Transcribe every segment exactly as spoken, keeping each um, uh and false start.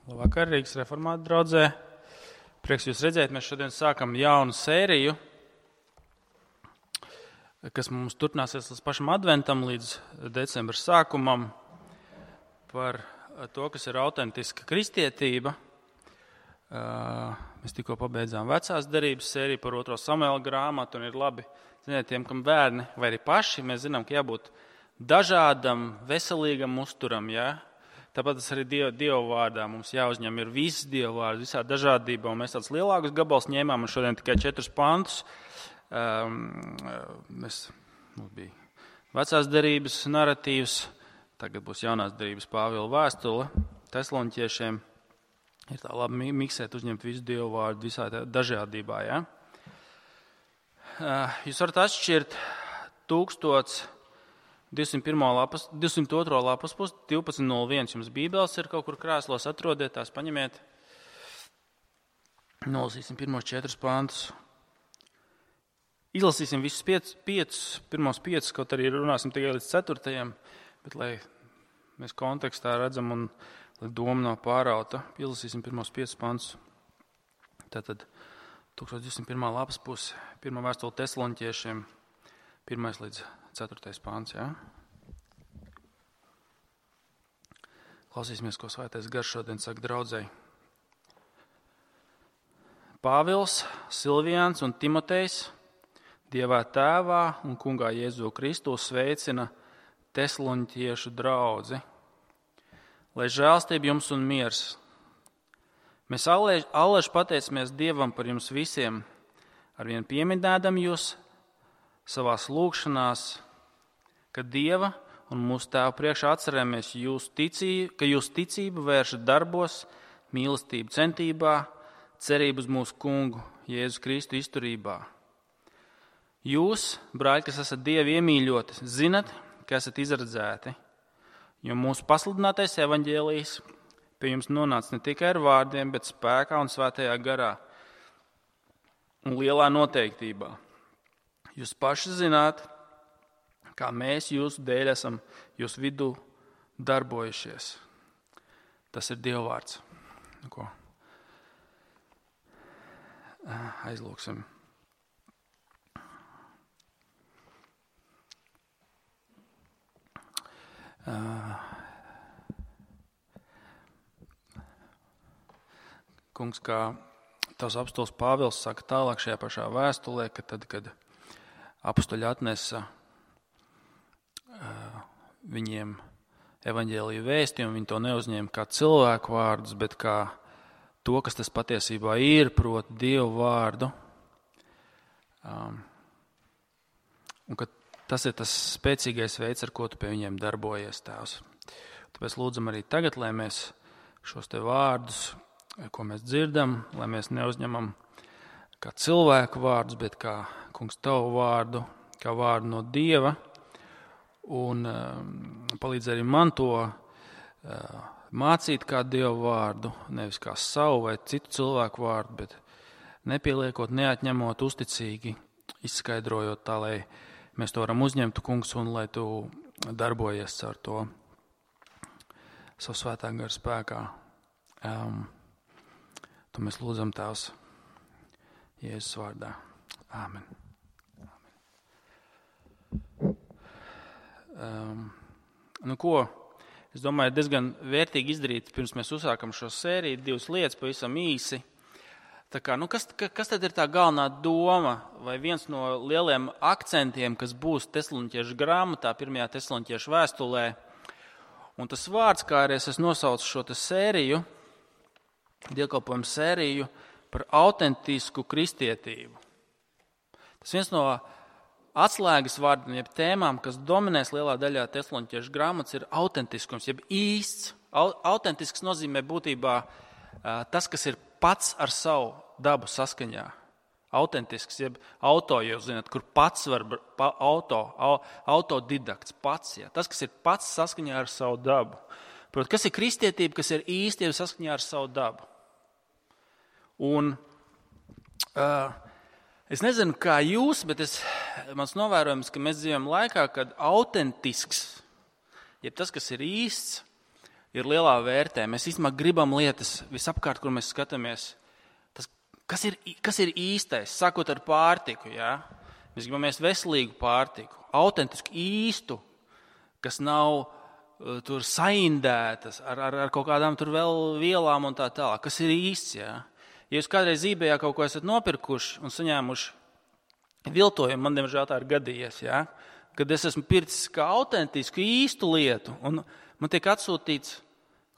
Labvakar, Rīgas reformātu draudzē. Prieks jūs redzēt, mēs šodien sākam jaunu sēriju, kas mums turpināsies līdz pašam adventam, līdz decembra sākumam, par to, kas ir autentiska kristietība. Mēs tikko pabeidzām vecās derības sēriju par otro Samuela grāmatu, un ir labi, ziniet, tiem, kam bērni vai arī paši, mēs zinām, ka jābūt dažādam, veselīgam uzturam, jā. Tāpat tas arī Dieva, Dieva vārdā mums jāuzņem ir viss Dieva vārds, visā dažādībā, un mēs tāds lielākus gabals ņēmām, un šodien tikai četrus pantus. Um, mēs, mums bija vecās derības naratīvs, tagad būs jaunās derības Pāvila vēstule Tesaloniķiešiem. Ir tā labi miksēt, uzņemt visu Dieva vārdu visā dažādībā, ja? Uh, jūs varat atšķirt tūkstots divsimt pirmo lapas, divsimt otro lapas pusi, divpadsmit nulle viens jums bībeles ir kaut kur krēslos, atrodiet tās, paņemiet. Nolasīsim pirmos četrus pantus. Izlasīsim visus piec, piecus, pirmos piecus, kaut arī runāsim tikai līdz ceturtajam, bet lai mēs kontekstā redzam un lai doma nav pārauta, izlasīsim pirmos piecus pantus. Tātad tūkstoš divsimt pirmā lapas pusi, pirmā vēstule Tesaloniķiešiem, pirmais līdz ceturtais pants, jā. Klausīsimies, ko Svētais Gars šodien saka draudzei. Pāvils, Silviāns un Timotejs Dievā Tēvā un Kungā Jēzu Kristu sveicina Tesaloniķiešu draudzi. Lai žēlstība jums un miers. Mēs allaž pateicamies Dievam par jums visiem, arvien pieminēdam jūs savās lūgšanās, ka Dieva un mūsu Tēva priekšā atceramies jūs ticību, ka jūs ticību vēršat darbos, mīlestību centībā, cerību uz mūsu Kungu Jēzu Kristu izturībā. Jūs, brāļi, kas esat Dievi iemīļoti, zinat, ka esat izredzēti, jo mūsu pasludinātais evaņģēlijs pie jums nonāca ne tikai ar vārdiem, bet spēkā un svētajā garā un lielā noteiktībā. Jūs paši zināt, kā mēs jūsu dēļ esam jūsu vidū darbojušies. Tas ir Dieva vārds. Ko? Aizlūksim. Kungs, kā tavs apostols Pāvils saka tālāk šajā pašā vēstulē, ka tad, kad apostoļi atnesa uh, viņiem evaņģēliju vēstījumu, viņi to neuzņēma kā cilvēku vārdus, bet kā to, kas tas patiesībā ir, proti Dievu vārdu. Um, un ka tas ir tas spēcīgais veids, ar ko tu pie viņiem darbojies, Tēvs. Tāpēc lūdzam arī tagad, lai mēs šos te vārdus, ko mēs dzirdam, lai mēs neuzņemam kā cilvēku vārdus, bet kā Kungs tavu vārdu, kā vārdu no Dieva, un um, palīdz arī man to uh, mācīt kā Dievu vārdu, nevis kā savu vai citu cilvēku vārdu, bet nepieliekot, neatņemot, uzticīgi, izskaidrojot tā, lai mēs to varam uzņemt, Kungs, un lai tu darbojies ar to savu svētā gara spēkā. Um, to mēs lūdzam Tēvs Jēzus vārdā. Āmen. Um, nu ko, es domāju, diezgan vērtīgi izdarīt, pirms mēs uzsākam šo sēriju, divas lietas pavisam īsi. Tā kā, nu kas, kas tad ir tā galvenā doma, vai viens no lieliem akcentiem, kas būs Tesaloniķiešu grāmatā, pirmajā Tesaloniķiešu vēstulē, un tas vārds, kā arī es esmu nosaucis šo te sēriju, dievkalpojumu sēriju par autentisku kristietību. Tas viens no atslēgas vārdiem, jeb tēmām, kas dominēs lielā daļā Tesaloniķiešu grāmatas, ir autentiskums, jeb īsts. Autentisks nozīmē būtībā tas, kas ir pats ar savu dabu saskaņā. Autentisks, jeb auto, jūs zināt, kur pats var, pa, auto, autodidakts, pats, ja. Tas, kas ir pats saskaņā ar savu dabu. Protams, kas ir kristietība, kas ir īsti saskaņā ar savu dabu. Un uh, es nezinu, kā jūs, bet es, mans novērojums, ka mēs dzīvojam laikā, kad autentisks, jeb tas, kas ir īsts, ir lielā vērtē. Mēs īstenībā gribam lietas visapkārt, kur mēs skatāmies. Tas, kas, ir, kas ir īstais, sākot ar pārtiku, jā? Mēs gribam ēst veselīgu pārtiku, autentisku, īstu, kas nav uh, tur saindētas ar, ar, ar kaut kādām tur vēl vielām un tā tālāk. Kas ir īsts, jā? Ja jūs kādreiz eBayā kaut ko esat nopirkuši un saņēmuši viltojumu, man diemžēl tā ir gadījies, jā? Kad es esmu pircis kā autentisku, īstu lietu un man tiek atsūtīts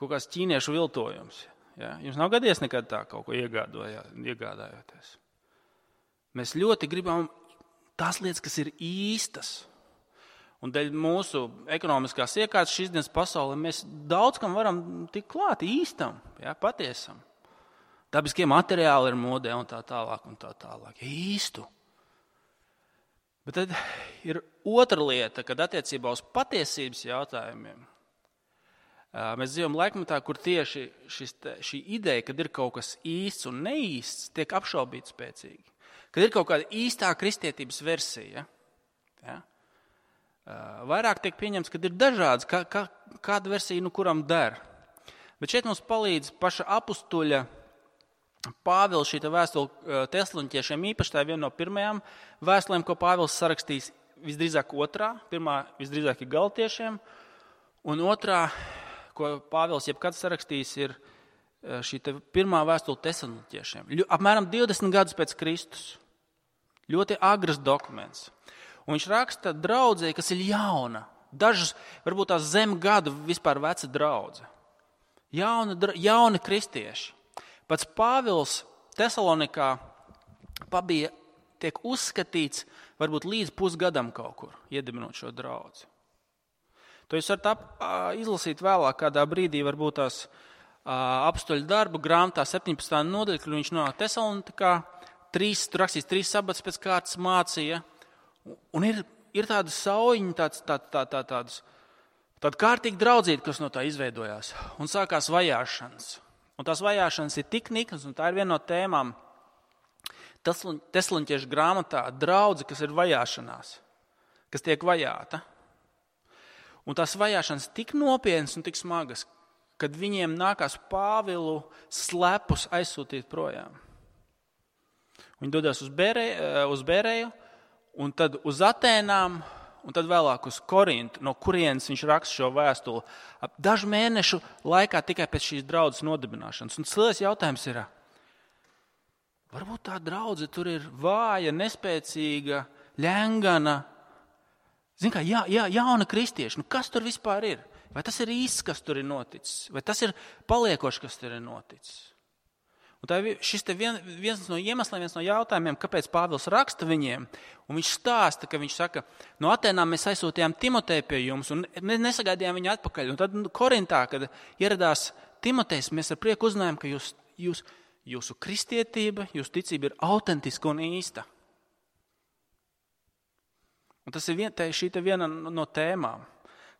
kaut kāds ķīniešu viltojums. Jā? Jums nav gadījies nekad tā kaut ko iegādājoties. Mēs ļoti gribam tās lietas, kas ir īstas. Un dēļ mūsu ekonomiskās iekārtas šīs dienas pasaulē mēs daudz kam varam tikt klāt īstam, jā, patiesam. Dabiskie materiāli ir modē un tā tālāk un tā tālāk. Īstu. Bet tad ir otra lieta, kad attiecībā uz patiesības jautājumiem mēs dzīvojam laikmetā, kur tieši šis, šī ideja, kad ir kaut kas īsts un neīsts, tiek apšaubīts spēcīgi. Kad ir kaut kāda īstā kristietības versija, ja, vairāk tiek pieņemts, kad ir dažādas, kā, kā, kāda versija, nu, kuram der. Bet šeit mums palīdz paša apustuļa Pāvila šī vēstule Tesaloniķiešiem, īpaši tā ir viena no pirmajām vēstulēm, ko Pāvils sarakstīs visdrīzāk otrā. Pirmā visdrīzāk ir Galatiešiem, un otrā, ko Pāvils jebkad sarakstīs, ir šī pirmā vēstule Tesaloniķiešiem. Apmēram divdesmit gadus pēc Kristus. Ļoti agrs dokuments. Un viņš raksta draudzei, kas ir jauna. Dažas, varbūt tās zem gadu vispār veca draudze. Jauna, jauni kristieši. Pats Pāvils Tesalonikā pabija, tiek uzskatīts varbūt līdz pusgadam kaut kur, iedibinot šo draudzi. To jūs varat ap, izlasīt vēlāk kādā brīdī, varbūt tās apustuļu darbu grāmatā septiņpadsmitā nodaļa, kur viņš nonāk Tesalonikā, trīs, tur rakstīs trīs sabatus pēc kārtas mācīja, un ir, ir tāda saujiņa, tāds, tā, tā, tā, tāds, tāda kārtīga draudzība, kas no tā izveidojās, un sākās vajāšanas. Un tās vajāšanas ir tik niknas, un tā ir viena no tēmām Tesaloniķiešu grāmatā, draudze, kas ir vajāšanās, kas tiek vajāta. Un tās vajāšanas tik nopietnas un tik smagas, kad viņiem nākās Pāvilu slepus aizsūtīt projām. Viņi dodas uz Bēreju, uz Bēreju, un tad uz Atēnām, un tad vēlāk uz Korintu, no kurienes viņš raksta šo vēstuli. Dažu mēnešu laikā tikai pēc šīs draudzes nodibināšanas. Un lielais jautājums ir, varbūt tā draudze tur ir vāja, nespēcīga, ļengana. Zin kā, jā, jā, jauna kristieši, nu kas tur vispār ir? Vai tas ir īsts, kas tur ir noticis? Vai tas ir paliekošs, kas tur ir noticis? Un tā ir šis te vien, viens no iemesliem, viens no jautājumiem, kāpēc Pāvils raksta viņiem. Un viņš stāsta, ka viņš saka, no Atēnām mēs aizsūtījām Timoteju pie jums un mēs nesagaidījām viņu atpakaļ. Un tad Korintā, kad ieradās Timotejs, mēs ar prieku uzzinājām, ka jūs, jūs, jūsu kristietība, jūsu ticība ir autentiska un īsta. Un tas ir vien, tā, šī te viena no tēmām.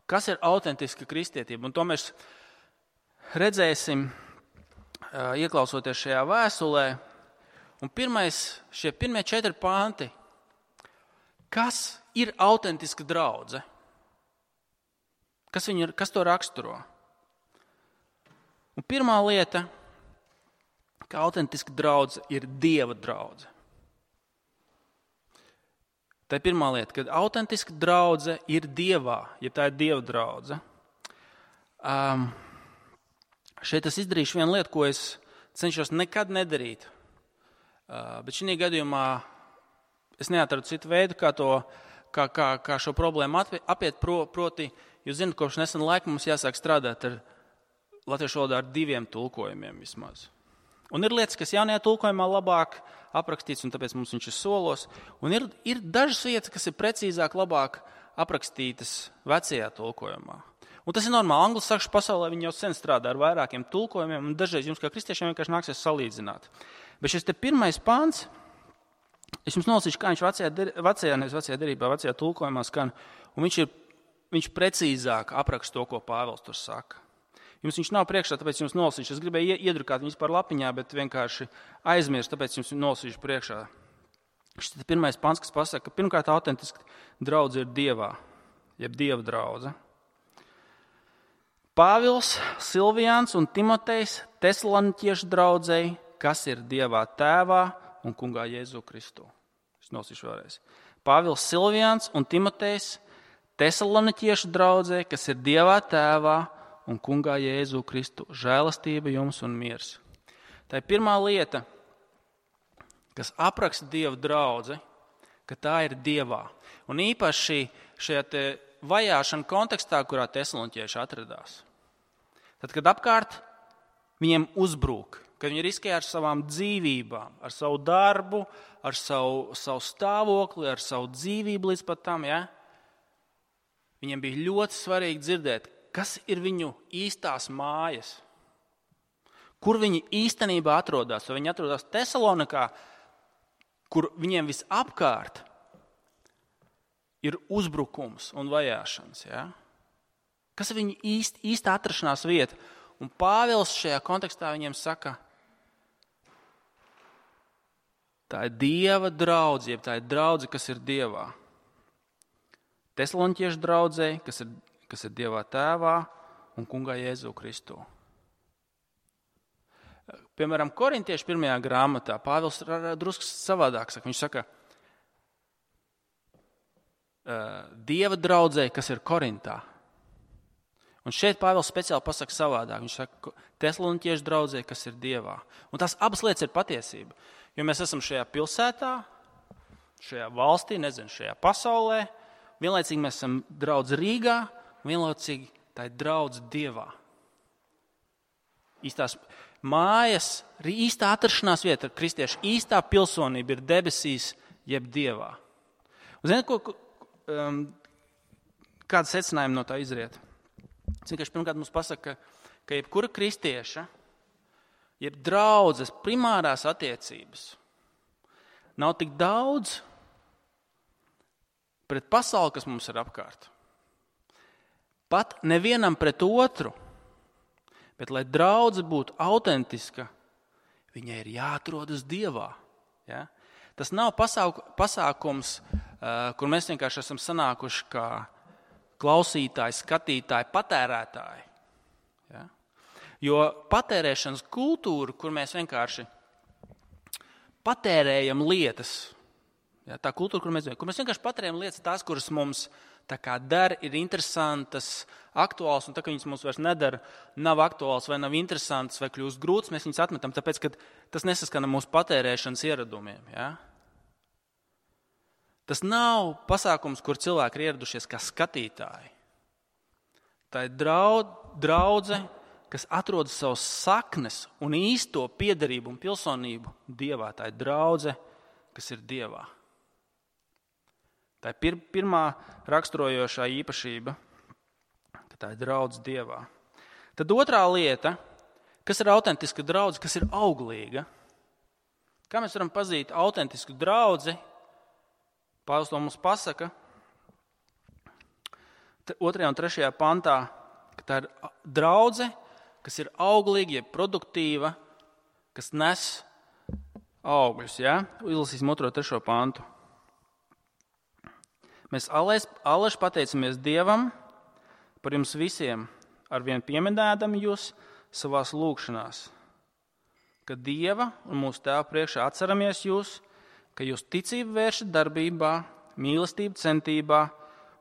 Kas ir autentiska kristietība? Un to mēs redzēsim, ieklausoties šajā vēstulē. Un pirmais, šie pirmie četri panti. Kas ir autentiska draudze? Kas, viņu, kas to raksturo? Un pirmā lieta, ka autentiska draudze ir Dieva draudze. Tā ir pirmā lieta, kad autentiska draudze ir Dievā, ja tā ir Dieva draudze. Um, šeit es izdarīšu vienu lietu, ko es cenšos nekad nedarīt. Uh, bet šī gadījumā es neatradu citu veidu, kā, to, kā, kā, kā šo problēmu apiet, pro, proti, jūs zināt, kopš nesena laika mums jāsāk strādāt ar latviešu valodā ar diviem tulkojumiem vismaz. Un ir lietas, kas jaunajā tulkojumā labāk aprakstīts, un tāpēc mums viņš ir solos. Un ir, ir dažas vietas, kas ir precīzāk, labāk aprakstītas vecajā tulkojumā. Un tas ir normāli. Anglosakšu pasaulē viņi jau sen strādā ar vairākiem tulkojumiem, un dažreiz jums kā kristiešiem vienkārši nāksies salīdzināt. Bet šis te pirmais pants, es jums nolasīšu, kā viņš vecajā, vecajā, nevis vecajā derībā, vecajā tulkojumā skan, un viņš, ir, viņš precīzāk apraksta to, ko Pāvils tur saka. Jums viņš nav priekšā, tāpēc jums nolasīšu. Es gribēju iedrukāt viņus par lapiņā, bet vienkārši aizmirst, tāpēc jums nolasīšu priekšā. Šis ir pirmais pants, kas pasaka, ka pirmkārt autentiski draudze ir Dievā, jeb Dieva draudze. Pāvils, Silviāns un Timotejs Tesaloniķiešu draudzei, kas ir Dievā Tēvā un Kungā Jēzu Kristu. Es nosīšu vēlreiz. Pāvils, Silviāns un Timotejs Tesaloniķiešu draudzei, kas ir Dievā Tēvā un Kungā Jēzu Kristu. Žēlastība jums un miers. Tā ir pirmā lieta, kas apraksta Dieva draudzi, ka tā ir Dievā. Un īpaši šajā te vajāšana kontekstā, kurā tesaloniķieši atradās. Tad, kad apkārt viņiem uzbrūk, kad viņi riskē ar savām dzīvībām, ar savu darbu, ar savu, savu stāvokli, ar savu dzīvību līdz pat tam, ja? Viņiem bija ļoti svarīgi dzirdēt, kas ir viņu īstās mājas, kur viņi īstenībā atrodas. Vai viņi atrodas Tesalonikā, kur viņiem visapkārt ir uzbrukums un vajāšanas. Ja? Kas ir viņu īst, īsta atrašanās vieta? Un Pāvils šajā kontekstā viņiem saka, tā ir Dieva draudze, jeb tā ir draudze, kas ir Dievā. Tesaloniķiešu draudzei, kas ir, kas ir Dievā Tēvā un Kungā Jēzu Kristu. Piemēram, Korintiešu pirmajā grāmatā Pāvils drusku savādāk saka. Viņš saka, Dieva draudzei, kas ir Korintā. Un šeit Pāvils speciāli pasaka savādāk. Viņš saka, Tesaloniķiešu draudzei, kas ir Dievā. Un tās abas lietas ir patiesība. Jo mēs esam šajā pilsētā, šajā valstī, nezinu, šajā pasaulē. Vienlaicīgi mēs esam draudz Rīgā, un vienlaicīgi tā ir draudz Dievā. Īstās mājas, īstā atrašanās vieta, kristiešu īstā pilsonība ir debesīs, jeb Dievā. Un zināt, ko, um, kāda secinājuma no tā izriet? Vienkārši pirmkārt mums pasaka, ka, ka jebkura kristieša, jeb draudzes primārās attiecības nav tik daudz pret pasauli, kas mums ir apkārt. Pat nevienam pret otru, bet lai draudze būtu autentiska, viņai ir jāatrodas Dievā. Ja? Tas nav pasāk, pasākums, uh, kur mēs vienkārši esam sanākuši kā klausītāji, skatītāji, patērētāji. Ja? Jo patērēšanas kultūra, kur mēs vienkārši patērējam lietas, ja, tā kultūra, kur mēs, kur mēs vienkārši patērējam lietas, tās, kuras mums tā kā der, ir interesantas, aktuāls, un tā, ka viņas mums vairs nedara, nav aktuāls vai nav interesants vai kļūst grūts, mēs viņas atmetam, tāpēc, ka tas nesaskana mūsu patērēšanas ieradumiem. Ja? Tas nav pasākums, kur cilvēki ir ieradušies kā skatītāji. Tā ir draud, draudze, kas atrodas savas saknes un īsto piederību un pilsonību Dievā. Tā ir draudze, kas ir Dievā. Tā ir pir, pirmā raksturojošā īpašība, ka tā ir draudze Dievā. Tad otrā lieta, kas ir autentiska draudze, kas ir auglīga. Kā mēs varam pazīt autentisku draudzi? Pāvils to mums pasaka otrajā un trešajā pantā, ka tā ir draudze, kas ir auglīga, jeb produktīva, kas nes augļus. Ja? Izlasīsim otro trešo pantu. Mēs aleši pateicamies Dievam par jums visiem, arvien pieminēdami jūs savās lūgšanās, ka Dieva un mūsu Tēva priekšā atceramies jūs, ka jūs ticību vēršat darbībā, mīlestību centībā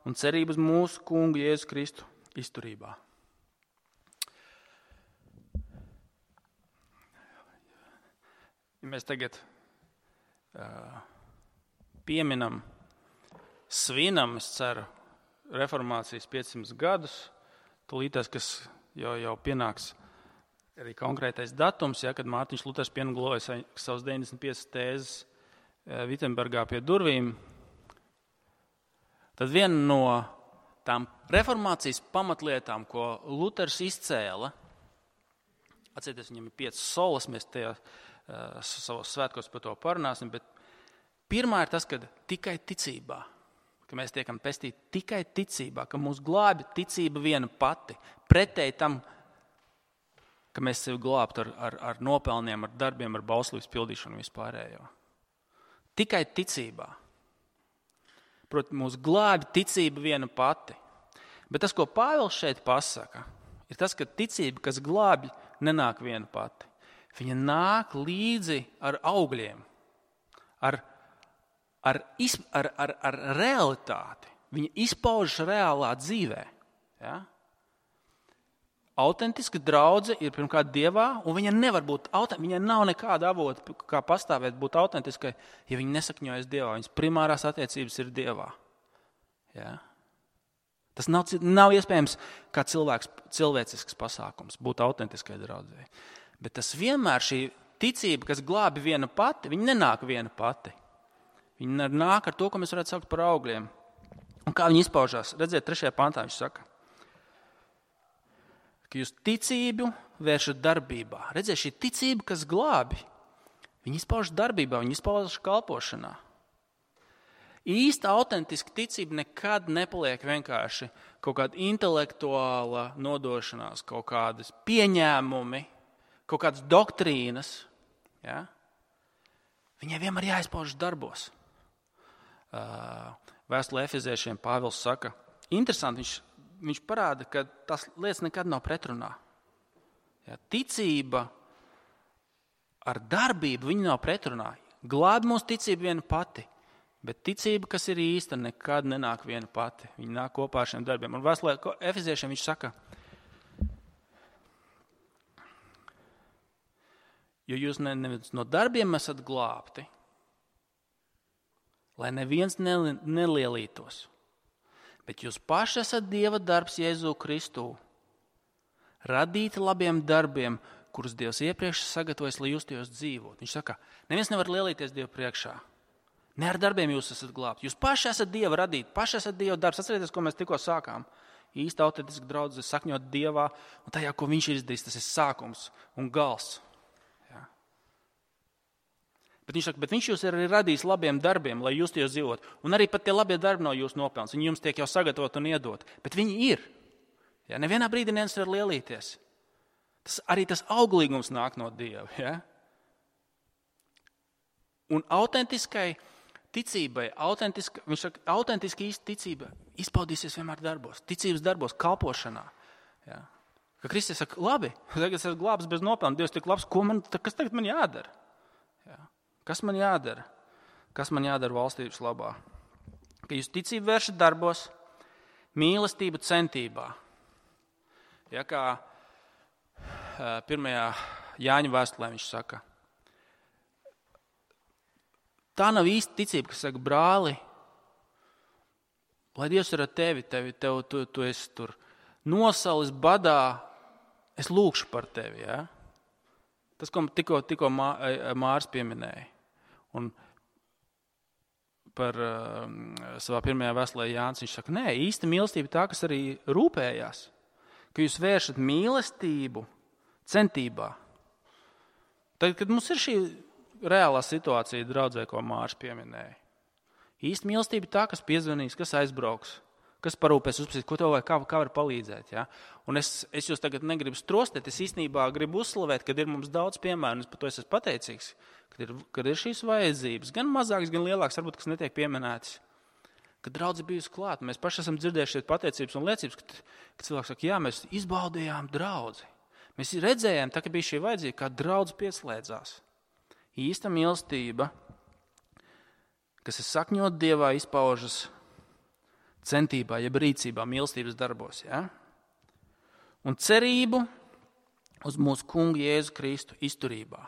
un cerību uz mūsu Kungu Jēzu Kristu izturībā. Ja mēs tagad uh, pieminam, svinam, es ceru, reformācijas piecsimt gadus, tūlītās, kas jau, jau pienāks arī konkrētais datums, ja, kad Mārtiņš Luters pienagloja savas deviņdesmit piecas tēzes Vitsenbergā pie durvīm, tad viena no tām reformācijas pamatlietām, ko Luters izcēla, atcerieties, viņam ir piecas solas, mēs tajā uh, savos svētkos par to parunāsim, bet pirmā ir tas, ka tikai ticībā, ka mēs tiekam pestīti tikai ticībā, ka mūs glābi ticība viena pati, pretēji tam, ka mēs sevi glābtu ar, ar, ar nopelniem, ar darbiem, ar bauslības pildīšanu vispārējo. Tikai ticībā. Protams, mūs glābi ticība viena pati. Bet tas, ko Pāvils šeit pasaka, ir tas, ka ticība, kas glābj, nenāk viena pati. Viņa nāk līdzi ar augļiem, ar, ar, iz, ar, ar, ar realitāti. Viņa izpaužas reālā dzīvē. Ja? Autentiska draudze ir pirmkārt Dievā, un viņa nevar būt autentiska. Viņai nav nekāda avota, kā pastāvēt, būt autentiskai, ja viņa nesakņojas Dievā. Viņas primārās attiecības ir Dievā. Ja? Tas nav, nav iespējams kā cilvēks, cilvēcisks pasākums, būt autentiskai draudzei. Bet tas vienmēr šī ticība, kas glābi viena pati, viņa nenāk viena pati. Viņa nāk ar to, ko mēs varētu saukt par augļiem. Un kā viņi izpaužās? Redziet, trešajā pantā viņš saka, ka jūs ticību vēršat darbībā. Redziet, šī ticība, kas glābi, viņi izpaužas darbībā, viņi izpaužas kalpošanā. Īsta autentiska ticība nekad nepaliek vienkārši kaut kāda intelektuāla nodošanās, kaut kādas pieņēmumi, kaut kādas doktrīnas. Ja? Viņai vienmēr jāizpaužas darbos. Vēstulē Efeziešiem Pāvils saka, interesanti, viņš, viņš parāda, ka tās lietas nekad nav pretrunā. Ja? Ticība ar darbību viņa nav pretrunā. Glābi mūsu ticība viena pati. Bet ticība, kas ir īsta, nekad nenāk viena pati. Viņa nāk kopā ar šiem darbiem. Un vēstulē Efeziešiem viņš saka, jo jūs ne, nevis no darbiem esat glābti, lai neviens nelielītos, bet jūs paši esat Dieva darbs Jēzu Kristū, radīti labiem darbiem, kurus Dievs iepriekš sagatavojas, lai jūs tajos dzīvot. Viņš saka, neviens nevar lielīties Dievu priekšā. Ne ar darbiem jūs esat glābti. Jūs paši esat Dieva radīti, paši esat Dieva darbs. Atcerieties, ko mēs tikko sākām. Īsta autentiska draudze sakņot Dievā, un tajā, ko viņš ir izdarījis, tas ir sākums un gals. Ja. Bet viņš saka, bet viņš jūs ir arī radījis labiem darbiem, lai jūs tajos dzīvot. Un arī pat tie labie darbi nav jūsu nopelns. Viņi jums tiek jau sagatavot un iedot. Bet viņi ir. Ja. Nevienā brīdī neviens var lielīties. Tas, arī tas auglīgums nāk no Dieva. Ja. Un autentiskai ticībai, autentiska, viņš saka, autentiski īsta ticība izpaudīsies vienmēr darbos, ticības darbos, kalpošanā. Ja. Ka Kristus saka, labi, tagad es esmu glābs bez nopelna, Dievs tik labs, ko man, kas tagad man jādara? Ja. Kas man jādara? Kas man jādara valstības labā? Ka jūs ticību vēršat darbos, mīlestību centībā. Ja, kā pirmajā Jāņa vēstulē viņš saka, tā nav īsta ticība, kas saka, brāli, lai Dievs ir ar tevi, tevi tev, tu, tu esi tur nosalis badā, es lūkšu par tevi. Ja? Tas, ko tikko, tikko Mā, Mārs pieminēja. Un par uh, savā pirmajā vēstulē Jānis, viņš saka, nē, īsta mīlestība tā, kas arī rūpējās, ka jūs vēršat mīlestību centībā. Tad, kad mums ir šī reālā situācija draudzē, ko Mārs pieminēja. Īsta mīlestība tā, kas piezvanīs, kas aizbrauks, kas parūpēs uzprasīt, ko tev vajag, kā, kā var palīdzēt. Ja? Un es, es jūs tagad negribu strostēt, es īstenībā gribu uzslavēt, kad ir mums daudz piemēru, un es par to esmu pateicīgs, kad ir, kad ir šīs vajadzības, gan mazākas, gan lielākas, varbūt, kas netiek pieminētas. Kad draudze bijusi klāt, mēs paši esam dzirdējuši pateicības un liecības, kad, kad cilvēks saka, jā, mēs izbaudījām draudzi. Mēs redzējām, tā, ka bija šī vajadzība, kā draudze pieslēdzās. Īsta mīlestība, kas ir sakņot Dievā, izpaužas centībā, jeb rīcībā, mīlestības darbos. Ja? Un cerību uz mūsu kungu Jēzu Kristu izturībā.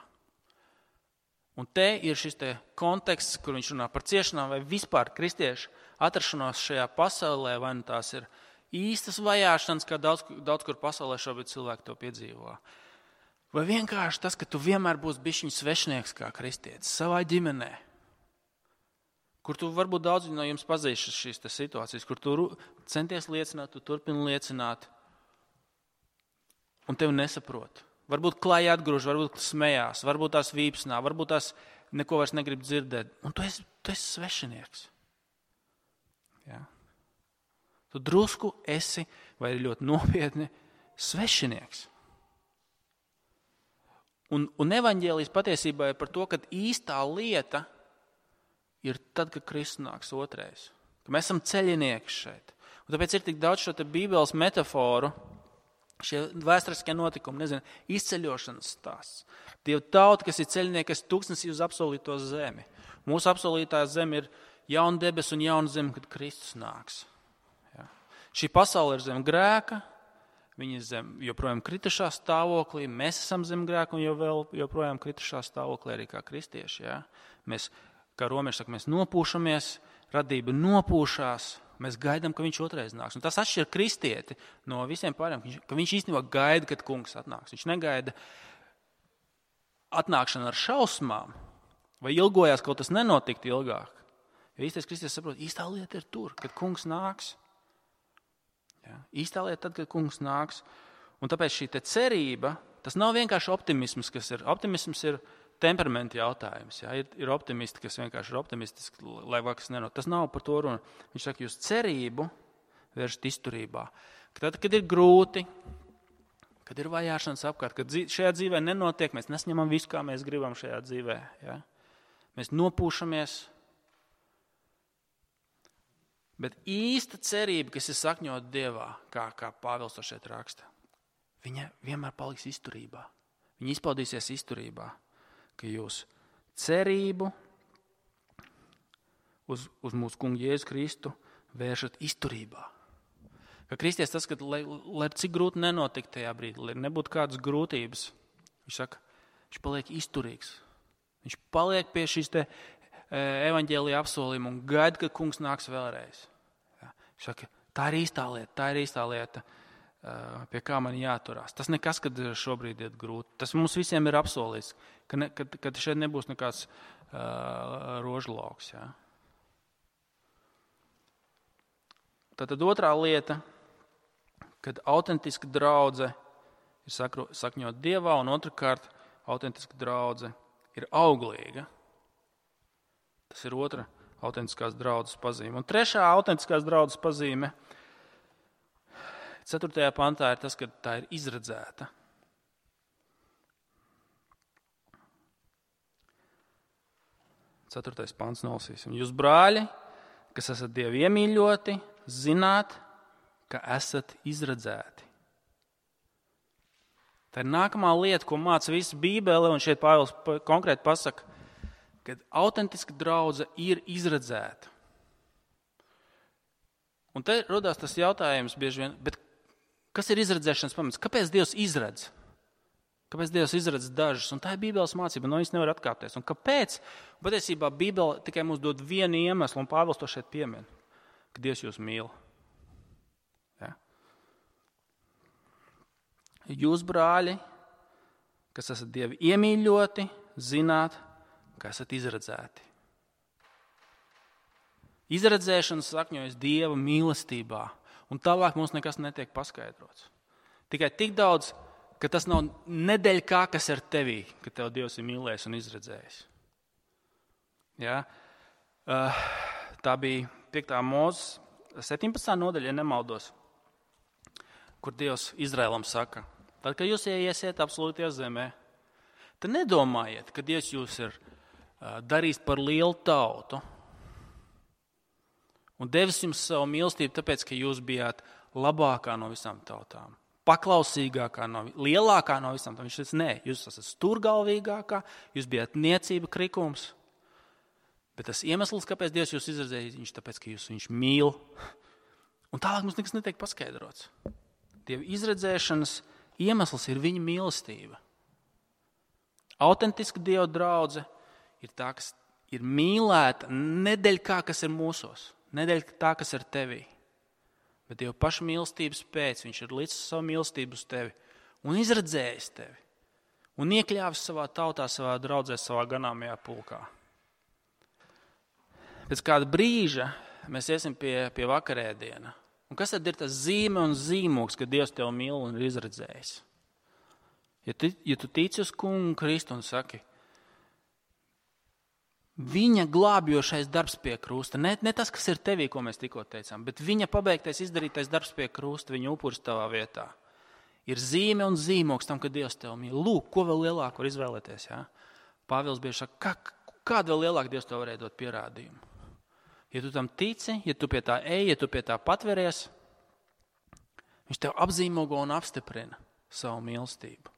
Un te ir šis te konteksts, kur viņš runā par ciešanām vai vispār kristiešu atrašanos šajā pasaulē, vai nu tās ir īstas vajāšanas, kā daudz, daudz kur pasaulē šobrīd cilvēki to piedzīvo. Vai vienkārši tas, ka tu vienmēr būsi bišķiņ svešnieks kā kristietis savā ģimenē, kur tu varbūt daudz no jums pazīst šīs situācijas, kur tu centies liecināt, tu turpini liecināt, un tevi nesaprot. Varbūt klāji atgrūž, varbūt smējās, varbūt tās vīpsnā, varbūt tās neko vairs negrib dzirdēt, un tu esi, tu esi svešinieks. Ja? Tu drusku esi, vai ļoti nopietni, svešinieks. Un, un evaņģēlijs patiesībā ir par to, ka īstā lieta ir tad, kad Kristus nāks otrais. Ka mēs esam ceļinieki šeit. Un tāpēc ir tik daudz šo te Bībeles metaforu, šie vēsturiskie notikumi, nezinu, izceļošanas stāsts. Dieva tauta, kas ir ceļnieki, kas tūkstnesī uz apsolīto zemi. Mūsu apsolītā zeme ir jauna debes un jauna zeme, kad Kristus nāks. Ja. Šī pasaule ir zem grēka, viņi ir zem joprojām kritušā stāvoklī, mēs esam zem grēka un jau vēl joprojām kritušā stāvoklī arī kā kristieši. Ja. Mēs, kā romieši saka, mēs nopūšamies, radība nopūšās, mēs gaidām, ka viņš otrais nāks. Un tas atšķir kristieti no visiem pārējiem, ka viņš īstenībā gaida, kad kungs atnāks. Viņš negaida atnākšanu ar šausmām vai ilgojās, kaut tas nenotiktu ilgāk. Jo īstais kristietis saprot, īstā lieta ir tur, kad kungs nāks. Ja? Īstā lieta tad, kad kungs nāks. Un tāpēc šī te cerība, tas nav vienkārši optimisms, kas ir. Optimisms ir temperamenta jautājums. Ja? Ir, ir optimisti, kas vienkārši ir optimistiski, lai vakas nenot. Tas nav par to runa. Viņš saka, jūs cerību vēršat izturībā. Tad, kad ir grūti, kad ir vajāšanas apkārt, kad šajā dzīvē nenotiek, mēs nesņemam visu, kā mēs gribam šajā dzīvē. Ja? Mēs nopūšamies. Bet īsta cerība, kas ir sakņota Dievā, kā, kā Pāvils to šeit raksta, viņa vienmēr paliks izturībā. Viņa izpaudīsies izturībā, ka jūs cerību uz, uz mūsu kungu Jēzu Kristu vēršat izturībā. Ka kristies tas, ka lai, lai cik grūti nenotikt tajā brīdī, lai nebūtu kādas grūtības, viņš saka, viņš paliek izturīgs. Viņš paliek pie šīs te evaņģēlija apsolījuma un gaida, ka kungs nāks vēlreiz. Ja. Saka, tā ir īstā lieta, tā ir īstā lieta, pie kā man jāturās. Tas nekas, kad šobrīd ir grūti. Tas mums visiem ir apsolīts, ka, ne, ka, ka šeit nebūs nekāds uh, rožlauks. Ja. Tātad otrā lieta, kad autentiska draudze ir sakro, sakņot Dievā, un otrkārt autentiska draudze ir auglīga. Tas ir otra autentiskās draudzes pazīme. Un trešā autentiskās draudzes pazīme, ceturtajā pantā, ir tas, ka tā ir izredzēta. Ceturtais pants nolasīsim. Jūs, brāļi, kas esat Dievu iemīļoti, zināt, ka esat izredzēti. Tā ir nākamā lieta, ko māca visa Bībele, un šeit Pāvils konkrēti pasaka, kad autentiska draudze ir izredzēta. Un te rodās tas jautājums bieži vien, bet kas ir izredzēšanas pamats? Kāpēc Dievs izredz? Kāpēc Dievs izredz dažus? Un tā ir Bībeles mācība, no viņas nevar atkāpties. Un kāpēc? Patiesībā Bībele tikai mums dod vienu iemeslu, un Pāvils to šeit piemin, ka Dievs jūs mīl. Ja? Jūs, brāļi, kas esat Dievi iemīļoti, zināt, ka esat izredzēti. Izredzēšana sakņojas Dieva mīlestībā, un tālāk mums nekas netiek paskaidrots. Tikai tik daudz, ka tas nav nedeļ kā, kas ir tevī, ka tev Dievs ir mīlējis un izredzējis. Ja? Tā bija piektā Mūzes septiņpadsmitā nodaļa, ja nemaldos, kur Dievs Izraēlam saka, tad, kad jūs ieiesiet absolūtajā zemē, tad nedomājiet, ka Dievs jūs ir darīs par lielu tautu un devis jums savu mīlestību, tāpēc, ka jūs bijāt labākā no visām tautām, paklausīgākā, no, lielākā no visām tautām. Viņš teica, nē, jūs esat stūrgalvīgākā, jūs bijāt niecība, krikums, bet tas iemesls, kāpēc Dievs jūs izredzēja, viņš tāpēc, ka jūs viņš mīl. Un tālāk mums nekas netiek paskaidrots. Dieva izredzēšanas iemesls ir viņa mīlestība. Autentiska Dieva draudze ir tā, kas ir mīlēta nedeļ kā, kas ir mūsos, nedeļ tā, kas ir tevī. Bet Dieva paša mīlestības pēc viņš ir līdz savu mīlestību uz tevi un izredzējis tevi un iekļāvis savā tautā, savā draudzē, savā ganāmajā pulkā. Pēc kāda brīža mēs iesim pie, pie vakarēdiena. Un kas tad ir tas zīme un zīmogs, ka Dievs tevi mīl un ir izredzējis? Ja tu, ja tu tici uz kungu Kristu un saki, viņa glābjošais darbs pie krusta, ne, ne tas, kas ir tevī, ko mēs tikko teicām, bet viņa pabeigtais izdarītais darbs pie krusta, viņa upuris tavā vietā, ir zīme un zīmogs tam, ka Dievs tevi mīl. Lūk, ko vēl lielāku var izvēlēties. Ja? Pāvils bieži saka, kā, kādu vēl lielāku Dievs tev varēja dot pierādījumu? Ja tu tam tici, ja tu pie tā ej, ja tu pie tā patveries, Viņš tev apzīmogo un apstiprina savu mīlestību.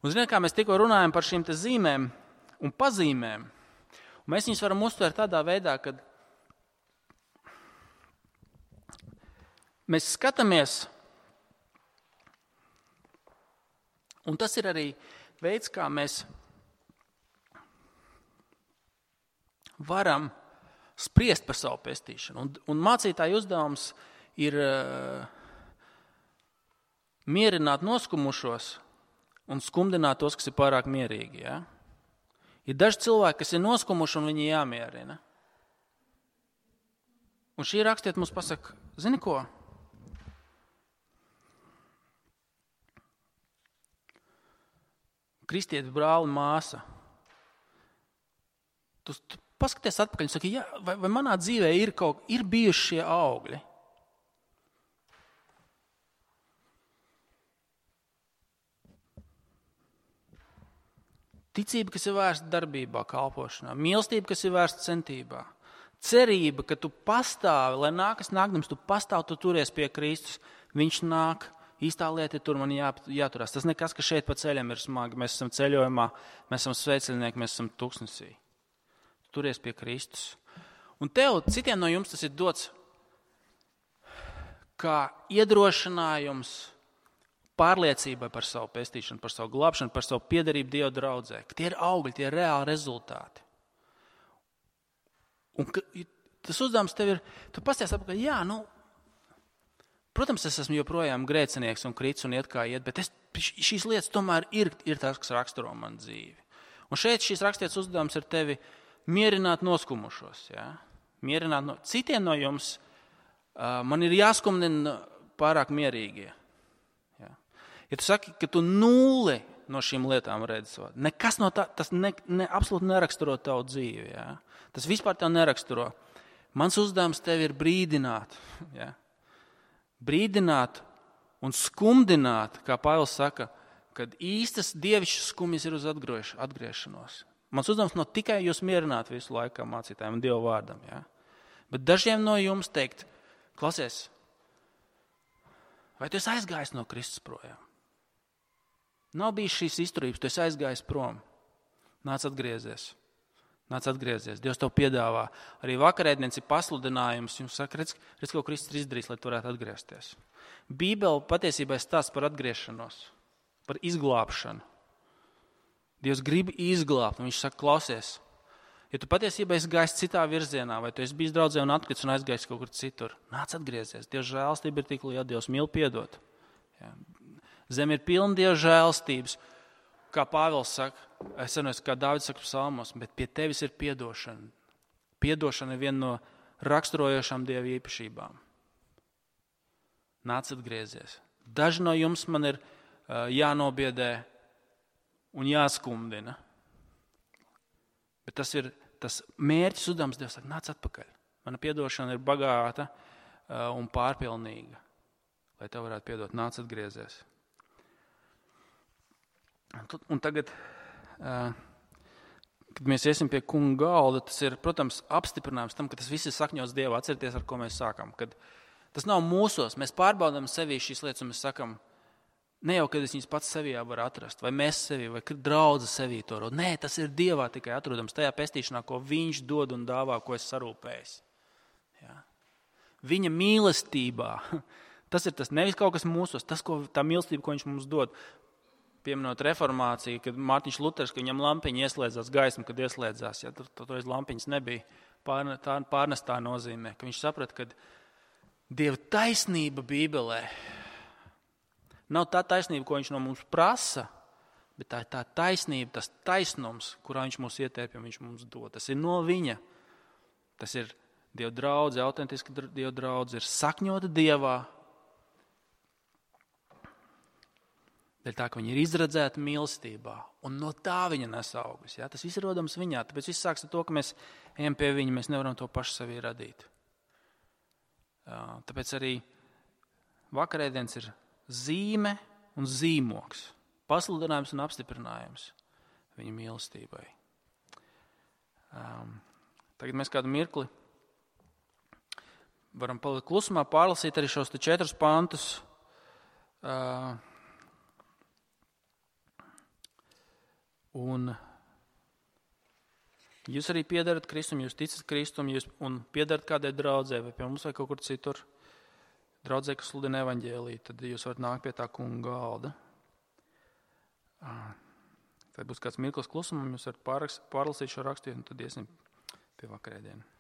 Un ziniet, kā mēs tikko runājam par šīm te zīmēm un pazīmēm, un mēs viņus varam uztvert tādā veidā, kad mēs skatāmies, un tas ir arī veids, kā mēs varam spriest par savu pestīšanu. Un, un mācītāja uzdevums ir uh, mierināt noskumušos un skumdināt tos, kas ir pārāk mierīgi. Ja? Ir daži cilvēki, kas ir noskumuši un viņi jāmierina. Un šī rakstiet mums pasaka, zini ko? Kristieti, brāli, māsa. Tu, tu paskaties atpakaļ un saki, jā, vai, vai manā dzīvē ir kaut, ir bijuši šie augļi? Ticība, kas ir vērsta darbībā, kalpošanā, mīlestība, kas ir vērsta centībā, cerība, ka tu pastāvi, lai nākas nākdams, tu pastāvi, tu turies pie Kristus, viņš nāk. Īstā lieta ir tur, man jā, jāturās. Tas nekas, ka šeit pa ceļam ir smagi. Mēs esam ceļojumā, mēs esam sveceļnieki, mēs esam tuksnesī. Turies pie Kristus. Un tev, citiem no jums tas ir dots kā iedrošinājums pārliecībai par savu pestīšanu, par savu glābšanu, par savu piederību Dieva draudzē. Ka tie ir augļi, tie ir reāli rezultāti. Un ka, tas uzdevums tev ir, tu pasties apkārt, jā, nu, protams, es esmu joprojām grēcinieks un krits un iet kā iet, bet es, šīs lietas tomēr ir, ir tās, kas raksturo man dzīvi. Un šeit šīs rakstietas uzdevums ir tevi mierināt noskumušos. Ja? Mierināt no, citiem no jums uh, man ir jāskumdina pārāk mierīgie. Ja? Ja tu saki, ka tu nulli no šīm lietām redzi, nekas no tā, tas ne, ne, absolūti neraksturo tavu dzīvi. Ja? Tas vispār tev neraksturo. Mans uzdevums tevi ir brīdināt. Ja? Brīdināt un skumdināt, kā Pāvils saka, kad īstas dievišķas skumjas ir uz atgriešanos. Mans uzdevums nav tikai jūs mierināt visu laiku mācītājiem un Dieva vārdam. Ja? Bet dažiem no jums teikt, klausies, vai tu esi aizgājis no Kristus projām? Nav bijis šīs izturības, tu esi aizgājis prom. Nāc atgriezies. Nāc atgriezies. Dievs tev piedāvā. Arī vakarēdienas ir pasludinājums. Jums saka, redz, redz, ko Kristus ir izdarījis, lai tu varētu atgriezties. Bībele patiesībā stāsta par atgriešanos, par izglābšanu. Dievs grib izglābt. Viņš saka, klausies, ja tu patiesībā esi gājis citā virzienā, vai tu esi bijis draudzē un atkrits un aizgājis kaut kur citur, nāc atgriezies. Dievs žēlstība ir tik liela, Dievs mīl piedot. Ja. Zeme ir pilna Dieva žēlstības. Kā Pāvils saka, es zinu, kā Dāvids saka psalmos, bet pie tevis ir piedošana. Piedošana ir viena no raksturojošām Dieva īpašībām. Nāc atgriezies. Daži no jums man ir uh, jānobiedē un jāskumdina. Bet tas ir tas mērķis uzdevums, Dievs saka, nāc atpakaļ. Mana piedošana ir bagāta uh, un pārpilnīga. Lai tev varētu piedot, nāc atgriezies. Un tagad, kad mēs iesim pie kunga galda, tas ir, protams, apstiprinājums tam, ka tas viss ir sakņots Dievā. Atcerieties, ar ko mēs sākam. Kad tas nav mūsos, mēs pārbaudām sevī šīs lietas un mēs sakam, ne jau, kad es viņas pats sevī varu atrast, vai mēs sevī, vai draudze sevī to rod. Nē, tas ir Dievā tikai atrodams tajā pestīšanā, ko viņš dod un dāvā, ko es sarūpējis. Ja? Viņa mīlestībā. Tas ir tas, nevis kaut kas mūsos, tas, ko, tā mīlestība, ko viņš mums dod. Pieminot reformāciju, kad Mārtiņš Luters, ka viņam lampiņa ieslēdzās, gaisma, kad ieslēdzās, ja, tur toreiz lampiņas nebija, pārne, tā pārnestā nozīmē, ka viņš saprata, ka Dieva taisnība Bībelē nav tā taisnība, ko viņš no mums prasa, bet tā ir tā taisnība, tas taisnums, kurā viņš mūs ietērpja un viņš mums dod. Tas ir no viņa. Tas ir Dieva draudze, autentiski Dieva draudze, ir sakņota Dievā, dēļ tā, ka viņa ir izredzēta mīlestībā, un no tā viņa nes augļus. Ja? Tas viss ir rodams viņā, tāpēc viss sāks ar to, ka mēs ejam pie viņa, mēs nevaram to paši sevī radīt. Tāpēc arī vakarēdienas ir zīme un zīmoks, pasludinājums un apstiprinājums viņa mīlestībai. Um, tagad mēs kādu mirkli varam palikt klusumā, pārlasīt arī šos te četrus pantus, Uh, un jūs arī piedarat Kristum, jūs ticat Kristum, jūs un piedarat kādai draudzē, vai pie mums vai kaut kur citur, draudzē, kas sludina evaņģēliju, tad jūs varat nākt pie tā kunga galda. Uh, tad būs kāds mirklis klusumam, jūs varat pārlasīt šo rakstījumu, un tad iesim pie vakarēdienu.